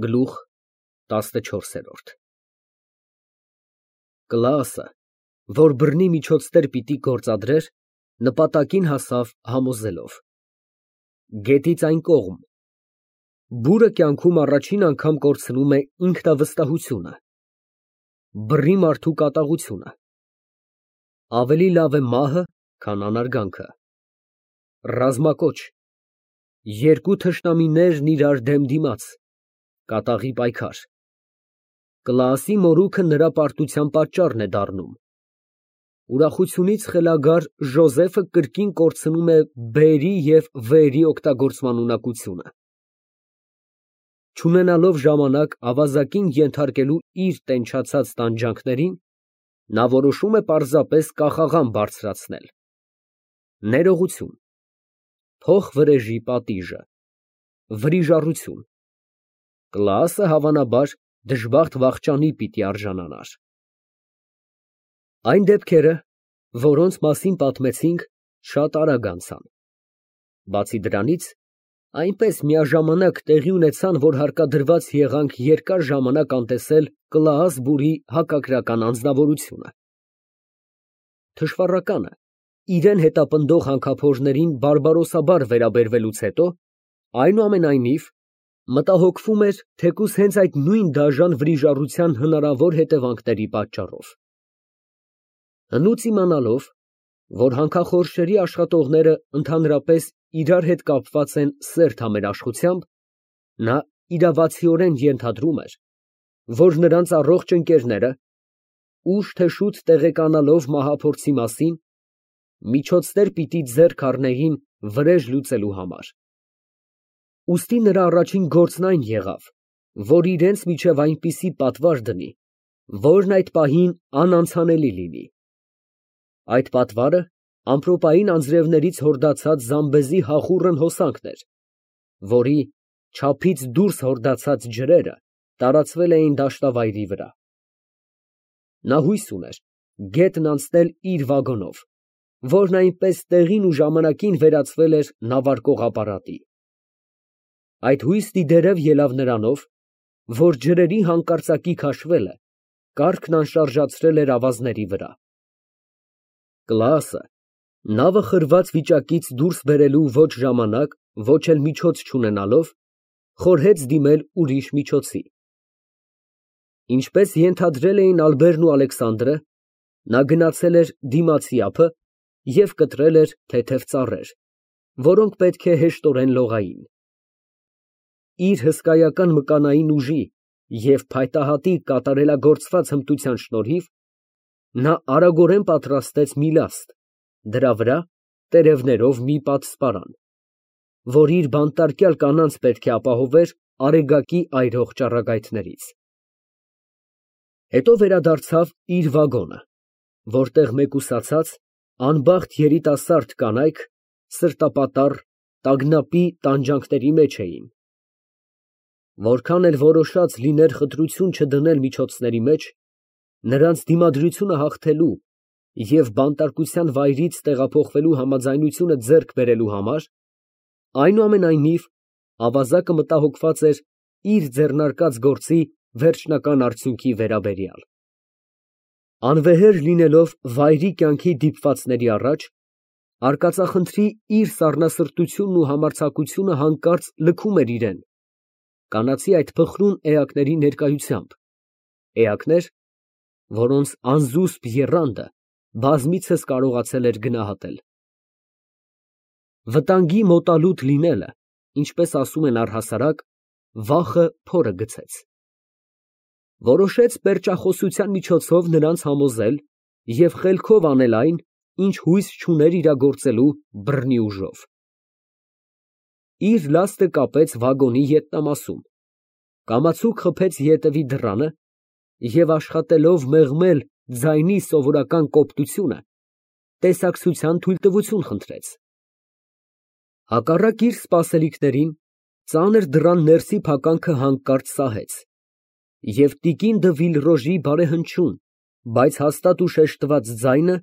Գլուխ 14 Կլասը, որ բռնի միջոցներ պիտի գործադրեր, նպատակին հասավ համոզելով. գետից այն կողմ, բուրը կյանքում առաջին անգամ կորցնում է ինքնավստահությունը, բռի մարդու կատաղությունը, ավելի լավ է մահը, քան անարգանքը, ռազմակոչ, երկու թշնամիներն իրար դեմ դիմաց, կատաղի պայքար, Կլասի մորուքը նրա պարտության պատճառն է դառնում, ուրախությունից խելագար Ժոզեֆը կրկին կորցնում է բերի և վերի օգտագործման ունակությունը, չունենալով ժամանակ ավազակին ենթարկելու իր տենչացած տանջանքներին, նա որոշում է պարզապես կախաղան բարձրացնել, ներողություն, փոխվրեժի պատիժը, վրիժառություն, Կլասը հավանաբար դժբախտ վախճանի պիտի արժանանար։ Այն դեպքերը, որոնց մասին պատմեցինք, շատ արագ անցան։ Բացի դրանից, այնպես միաժամանակ տեղի ունեցան, որ հարկադրված եղանք երկար ժամանակ անտեսել Կլաաս բուրի հակագրական անձնավորությունը։ Թշվառականը, իրեն հետապնդող հանքափորներին բարբարոսաբար վերաբերվելուց հետո, այնուամենայնիվ, մտահոգվում էր թեկուզ հենց այդ նույն դաժան վրիժառության հնարավոր հետևանքների պատճառով։ Հնուց իմանալով, որ հանքախորշերի աշխատողները ընդհանրապես իրար հետ կապված են սերտ համերաշխությամբ, նա իրավացիորեն ենթադրում էր, որ նրանց առողջ ընկերները, ուշ թե շուտ տեղեկանալով մահափորձի մասին, միջոցներ պիտի ձեռք առնեին վրեժ լուծելու համար։ Ուստի նրա առաջին գործն այն եղավ, որ իրենց միջև այնպիսի պատվար դնի, որն այդ պահին անանցանելի լինի։ Այդ պատվարը ամպրոպային անձրևներից հորդացած զամբեզի հախուռն հոսանքն էր, որի չափից դուրս հորդացած ջրերը տարածվել էին դաշտավայրի վրա։ Նա հույս ուներ գետն անցնել իր վագոնով, որն այնպես տեղին ու ժամանակին վերածվել էր նավարկող ապարատի։ Այդ հույսն ի դերև ելավ նրանով, որ ջրերի հանկարծակի քաշվելը կառքն անշարժացրել էր ավազների վրա։ Կլասը, նավը խրված վիճակից դուրս բերելու ոչ ժամանակ, ոչ էլ միջոց չունենալով, խորհեց դիմել ուրիշ միջոցի։ Ինչպես ենթադրել էին Ալբերն ու Ալեքսանդրը, նա գնացել էր դիմացի ափը և կտրել էր թեթև ծառեր, որոնք պետք է հեշտորեն լողային։ Իր հսկայական մկանային ուժի և փայտահատի կատարելագործված հմտության շնորհիվ, նա արագորեն պատրաստեց մի լաստ, դրա վրա տերևներով մի պատսպարան, որ իր բանտարկյալ կանանց պետք է ապահովեր արեգակի այրող ճառագայթներից։ Հետո վերադարձավ իր վագոնը, որտեղ մեկուսացած, անբախտ երիտասարդ կանայք սրտապատառ, տագնապի տանջանքների մեջ էին։ Որքան էլ որոշած լիներ խտրություն չդնել միջոցների մեջ, նրանց դիմադրությունը հաղթելու և բանտարկության վայրից տեղափոխվելու համաձայնությունը ձեռք բերելու համար, այնուամենայնիվ, ավազակը մտահոգված էր իր ձեռնարկած գործի վերջնական արդյունքի վերաբերյալ։ Անվեհեր լինելով վայրի կյանքի դիպվածների առաջ, արկածախնդրի իր սառնասրտությունն ու համարձակությունը հանկարծ լքում էր իրան, կանացի այդ փխրուն էակների ներկայությամբ, էակներ, որոնց անզուսպ եռանդը բազմիցս կարողացել էր գնահատել։ Վտանգի մոտալուտ լինելը, ինչպես ասում են առհասարակ, վախը փորը գցեց։ Որոշեց պերճախոսության միջոցով նրանց համոզել և խելքով անել այն, ինչ հույս չուներ իրագործելու բռնի ուժով։ Իր լաստը կապեց վագոնի ետնամասում, կամացուկ խփեց ետևի դռանը և աշխատելով մեղմել ձայնի սովորական կոպտությունը, տեսակցության թույլտվություն խնդրեց։ Հակառակ իր սպասելիքներին, ծանր դռան ներսի փականքը հանկարծ սահեց, և տիկին դը Վիլրոժի բարեհնչյուն, բայց հաստատ ու շեշտված ձայնը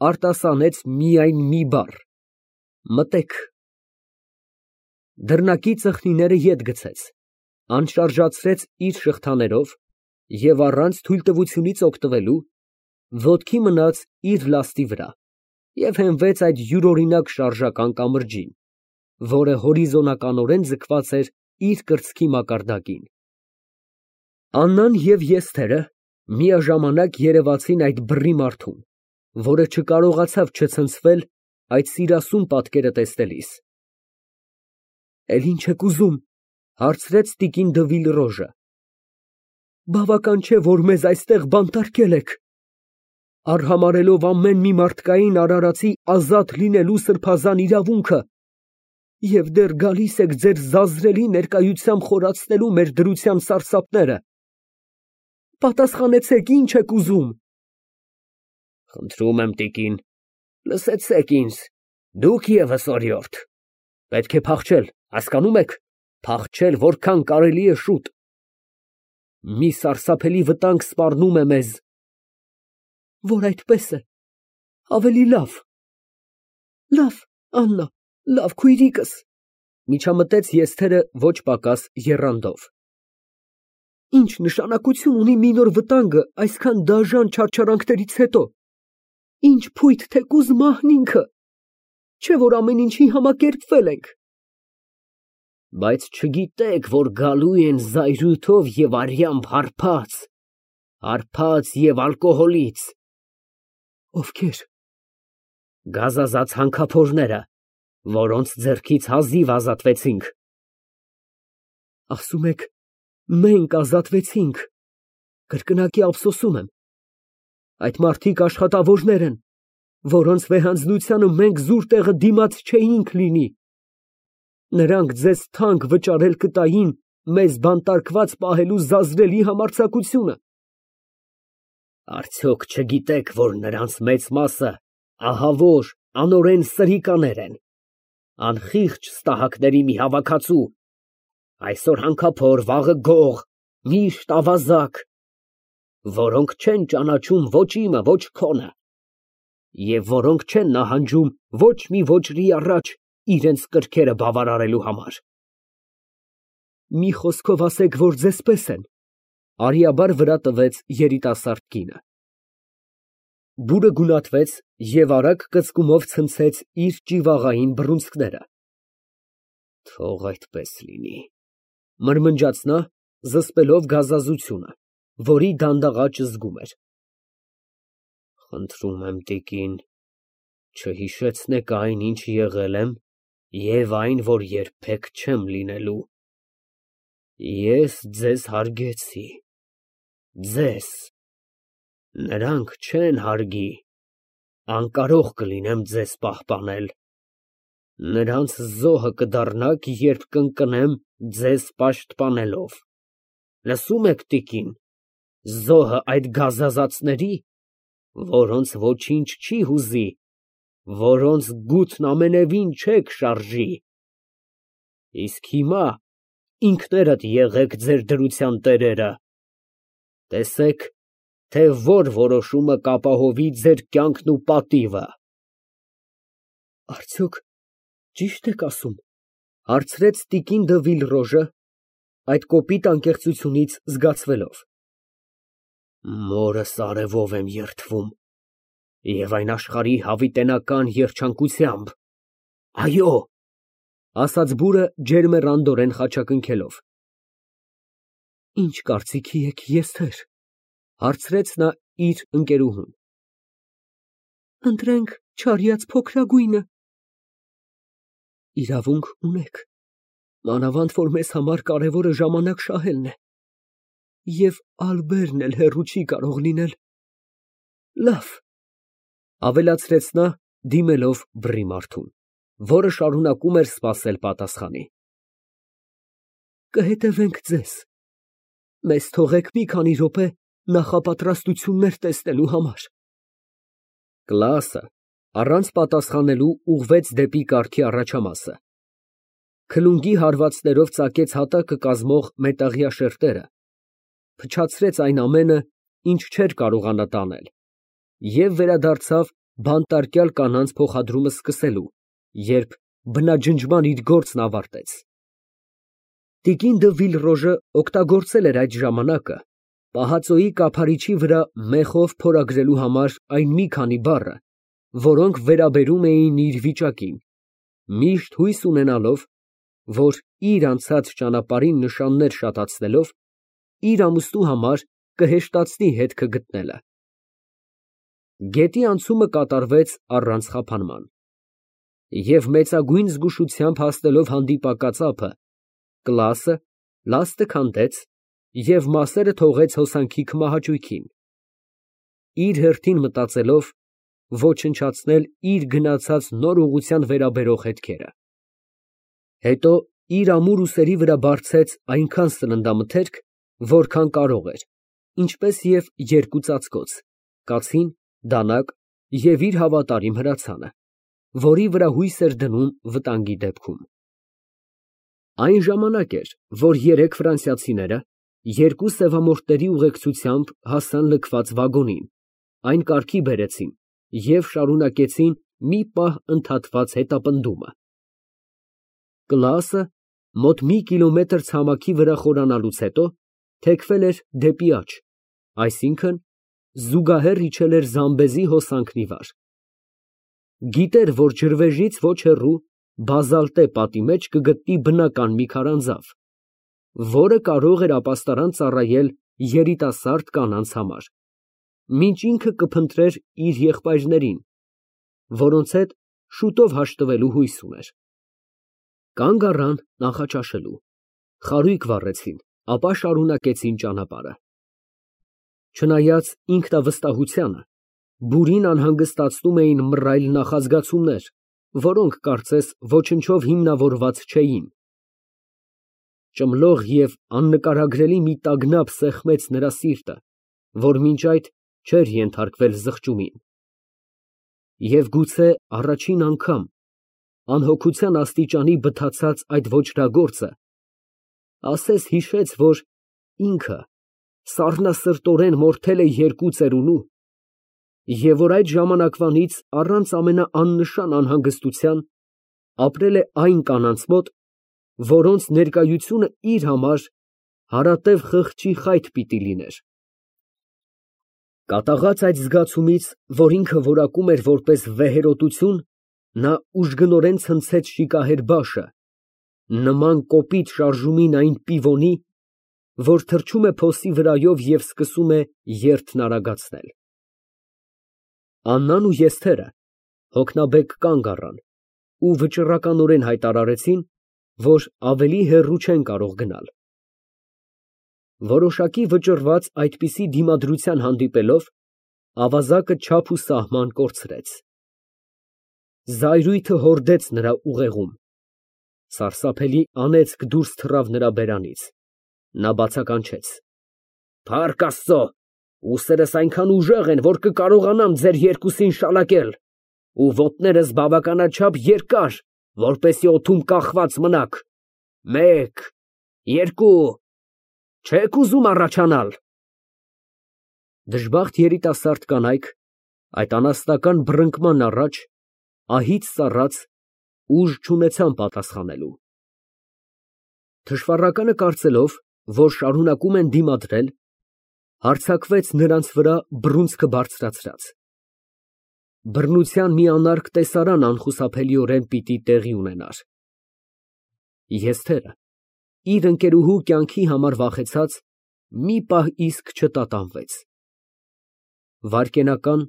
արտասանեց միայն մի բառ. մտեք։ Դռնակի ծխնիները ետ գցեց, Անշարժացրեց իր շղթաներով և առանց թույլտվությունից օգտվելու ոտքի մնաց իր լաստի վրա և հենվեց այդ յուրօրինակ շարժական կամրջին, որը հորիզոնականորեն ձգված էր իր կրծքի մակարդակին։ Աննան և Եստերը միաժամանակ երևացին այդ բռի մարդուն, որը չկարողացավ չցնցվել այդ սիրասուն պատկերը տեսնելիս։ ֊ Էլ ինչ եք ուզում, ֊ հարցրեց տիկին Դվիլրոժը։ ֊ Բավական չէ, որ մեզ այստեղ բանտարկել եք, արհամարհելով ամեն մի մարդկային արարածի ազատ լինելու սրբազան իրավունքը, և դեռ գալիս եք ձեր զազրելի ներկայությամբ խորացնելու մեր դրության սարսափները։ Պատասխանեցեք, ի՞նչ եք ուզում։ Խնդրում եմ, տիկին, լսեցեք ինձ, դուք ևս օրիորդ, պետք է փախչել, հասկանում եք, փախչել որքան կարելի է շուտ։ Մի սարսափելի վտանգ սպառնում է մեզ։ Որ այդպես է, ավելի լավ։ Լավ, Աննա, լավ քույրիկս, միջամտեց Եստերը ոչ պակաս եռանդով։ Ինչ նշանակություն ունի մի նոր վտանգը այսքան դաժան չարչարանքներից հետո։ Ինչ փույթ թեկուզ մահն ինքը, չէ՞ որ ամեն ինչի համակերպվել ենք։ Բայց չգիտեք, որ գալու են զայրույթով և արյամբ հարբած և ալկոհոլից։ Ովքեր։ Գազազած հանքափորները, որոնց ձեռքից հազիվ ազատվեցինք։ Ասում եք, մենք ազատվեցինք, կրկնակի ափսոսում եմ։ Այդ մարդիկ աշխատավորներ են, որոնց վեհանձնությանը մենք զուր տեղը դիմաց չէինք լինի։ Նրանք ձեզ թանկ վճարել կտային մեզ բանտարկված պահելու զազրելի համարձակությունը։ Արդյոք չգիտեք, որ նրանց մեծ մասը ահավոր, անօրեն սրիկաներ են, անխիղճ ստահակների մի հավաքածու, այսօր հանքափոր, վաղը գող, միշտ ավազակ, որոնք չեն ճանաչում ոչ իմը, ոչ քոնը, և որոնք չեն նահանջում ոչ մի ոճրի առաջ իրենց կրքերը բավարարելու համար։ Մի խոսքով ասեք, որ ձեզ պես են, արիաբար վրա տվեց երիտասարդ կինը։ Բուրը գունատվեց և արագ կծկումով ցնցեց իր ճիվաղային բռունցքները։ Թող այդպես լինի, մրմնջաց նա, զսպելով գազազությունը, որի դանդաղաճը զգում էր։ Խնդրում եմ, տիկին, չհիշեցնեք այն, ինչ եղել եմ, և այն, որ երբեք չեմ լինելու։ Ես ձեզ հարգեցի, ձեզ, նրանք չեն հարգի, անկարող կլինեմ ձեզ պահպանել։ Նրանց զոհը կդառնաք, երբ կընկնեմ ձեզ պաշտպանելով։ Լսո՞ւմ եք, տիկին, զոհը այդ գազազածների, որոնց ոչինչ չի հուզի, որոնց գութն ամենևին չեք շարժի։ Իսկ հիմա ինքներդ եղեք ձեր դրության տերերը, տեսեք, թե որ որոշումը կապահովի ձեր կյանքն ու պատիվը։ Արդյոք ճի՞շտ եք ասում, ֊ հարցրեց տիկին դը Վիլրոժը, այդ կոպիտ անկեղծությունից զգացվելով։ Մորս արևով եմ երդվում, և այն աշխարհի հավիտենական երջանկությամբ, այո, ֊ ասաց բուրը ջերմեռանդորեն խաչակնքելով։ Ինչ կարծիքի եք, Եստեր, ֊ հարցրեց նա իր ընկերուհուն։ Ընտրենք չարյաց փոքրագույնը։ Իրավունք ունեք, մանավանդ որ մեզ համար կարևորը ժամանակ շահելն է, և Ալբերն էլ հեռու չի կարող լինել։ Լավ, ֊ ավելացրեց նա, դիմելով բռի մարդուն, որը շարունակում էր սպասել պատասխանի։ Կհետևենք ձեզ, մեզ թողեք մի քանի րոպե նախապատրաստություններ տեսնելու համար։ Կլասը առանց պատասխանելու ուղղվեց դեպի կառքի առաջամասը, քլունգի հարվածներով ծակեց հատակը կազմող մետաղյա շերտերը, փչացրեց այն ամենը, ինչ չէր կարողանա տանել, և վերադարձավ բանտարկյալ կանանց փոխադրումը սկսելու, երբ բնաջնջման իր գործն ավարտեց։ Տիկին դը Վիլրոժը օգտագործել էր այդ ժամանակը պահածոյի կափարիչի վրա մեխով փորագրելու համար այն մի քանի բառը, որոնք վերաբերում էին իր վիճակին, միշտ հույս ունենալով, որ իր անցած ճանապարհին նշաններ շատացնելով, իր ամուսնու համար կհեշտացնի հետքը գտնելը։ Գետի անցումը կատարվեց առանց խափանման, և մեծագույն զգուշությամբ հասնելով հանդիպակաց ափը, Կլասը լաստը քանդեց և մասերը թողեց հոսանքի քմահաճույքին, իր հերթին մտածելով ոչնչացնել իր գնացած նոր ուղղության վերաբերող հետքերը։ Հետո իր ամուր ուսերի վրա բարձեց այնքան սննդամթերք, որքան կարող էր, ինչպես և երկու ծածկոց, կացին, դանակ և իր հավատարիմ հրացանը, որի վրա հույս էր դնում վտանգի դեպքում։ Այն ժամանակ էր, որ երեք ֆրանսիացիները երկու սևամորթների ուղեկցությամբ հասան լքված վագոնին, այն կարգի բերեցին և շարունակեցին մի պահ ընդհատված հետապնդումը։ Կլասը մոտ մի կիլոմետր ցամաքի վրա խորանալուց հետո թեքվել էր դեպի աջ, այսինքն՝ զուգահեռ իջել էր Զամբեզի հոսանքն ի վար։ Գիտեր, որ ջրվեժից ոչ հեռու բազալտե պատի մեջ կգտնի բնական մի քարանձավ, որը կարող էր ապաստարան ծառայել երիտասարդ կանանց համար, մինչ ինքը կփնտրեր իր եղբայրներին, որոնց հետ շուտով հաշտվելու հույս ուներ։ Կանգ առան նախաճաշելու, խարույկ վառեցին, ապա շարունակեցին ճանապարհը։ Չնայած ինքնավստահությանը, բուրին անհանգստացնում էին մռայլ նախազգացումներ, որոնք կարծես ոչնչով հիմնավորված չէին։ Ճմլող և աննկարագրելի մի տագնապ սեղմեց նրա սիրտը, որ մինչ այդ չէր ենթարկվել զղջումին։ Եվ գուցե առաջին անգամ անհոգության աստիճանի բթացած այդ ոճրագործը ասես֊հիշեց, որ ինքը սառնասրտորեն մորթել է երկու ծերունու, և որ այդ ժամանակվանից առանց ամենաաննշան անհանգստության ապրել է այն կանանց մոտ, որոնց ներկայությունը իր համար հարատև խղճի խայտ պիտի լիներ։ Կատաղած այդ զգացումից, որ ինքը որակում էր որպես վեհերոտություն, նա ուժգնորեն ցնցեց շիկահեր բաշը, նման կոպիտ շարժումին այն պիվոնի, որ թռչում է փոսի վրայով և սկսում է երթն արագացնել։ Աննան ու Եստերը հոգնաբեկ կանգ առան ու վճռականորեն հայտարարեցին, որ ավելի հեռու չեն կարող գնալ։ Որոշակի վճռված այդպիսի դիմադրության հանդիպելով, ավազակը չափ ու սահման կորցրեց։ Զայրույթը հորդեց նրա ուղեղում, սարսափելի անեծք դուրս թռավ նրա բերանից, նա բացականչեց. «Փառք Աստծո, ուսերս այնքան ուժեղ են, որ կկարողանամ ձեր երկուսին շալակել, ու ոտներս բավականաչափ երկար, որպեսզի օդում կախված մնաք, մեկ, երկու, չե՞ք ուզում առաջանալ»։ Դժբախտ երիտասարդ կանայք այդ անասնական բռնկման առաջ ահից սառած ուժ չունեցան պատասխանելու։ Թշվառականը կարծելով, որ շարունակում են դիմադրել, հարձակվեց նրանց վրա բռունցքը բարձրացրած։ Բռնության մի անարգ տեսարան անխուսափելիորեն պիտի տեղի ունենար։ Եստերը, իր ընկերուհու կյանքի համար վախեցած, մի պահ իսկ չտատանվեց։ Վայրկենական,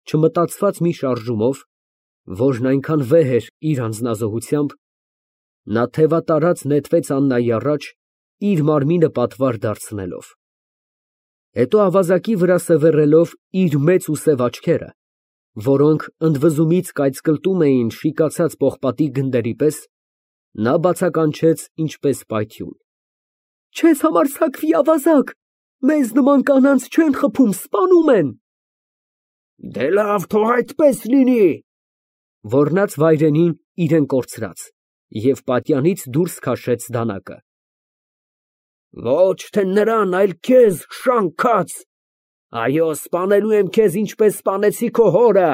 չմտածված մի շարժումով, որն այնքան վեհ էր իր անձնազոհությամբ, նա թևատարած նետվեց Աննայի առաջ, իր մարմինը պատվար դարձնելով։ Հետո ավազակի վրա սևեռելով իր մեծ ու սև աչքերը, որոնք ընդվզումից կայծկլտում էին շիկացած պողպատի գնդերի պես, նա բացականչեց ինչպես պայթյուն. «Չես համարձակվի, ավազակ, մեզ նման կանանց չեն խփում, սպանում են»։ «Դե լավ, թող այդպես լինի», ոռնաց վայրենին իրեն կորցրած և պատյանից դուրս քաշեց դանակը։ «Ոչ թե նրան, այլ քեզ, շանքած, այո, սպանելու եմ քեզ, ինչպես սպանեցի քո հորը,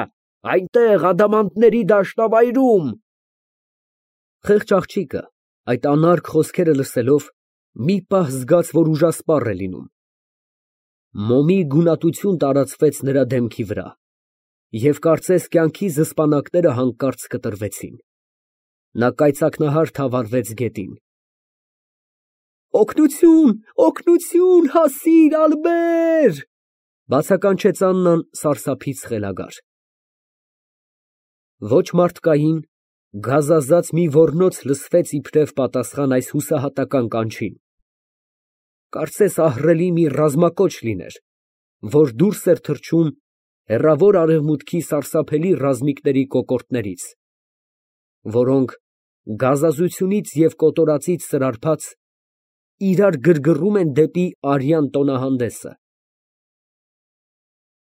այնտեղ, ադամանդների դաշտավայրում»։ Խեղճ աղջիկը, Այդ անարգ խոսքերը լսելով, մի պահ զգաց, որ ուժասպառ է լինում։ Մոմի գունատություն տարածվեց նրա դեմքի վրա, և կարծես կյանքի զսպանակները հանկարծ կտրվեցին։ Նա կայծակնահար թավալվեց գետին։ «Օգնություն, օգնություն, հասիր, Ալբեր», բացականչեց Աննան սարսափից խելագար։ Ոչ մարդկային, գազազած մի ոռնոց լսվեց իբրև պատասխան այս հուսահատական կանչին։ Կարծես ահռելի մի ռազմակոչ լիներ, որ դուրս էր թռչում հեռավոր արևմուտքի սարսափելի ռազմիկների կոկորդներից, որոնք գազազությունից և կոտորածից սրարփած, իրար գրգռում են դեպի արյան տոնահանդեսը։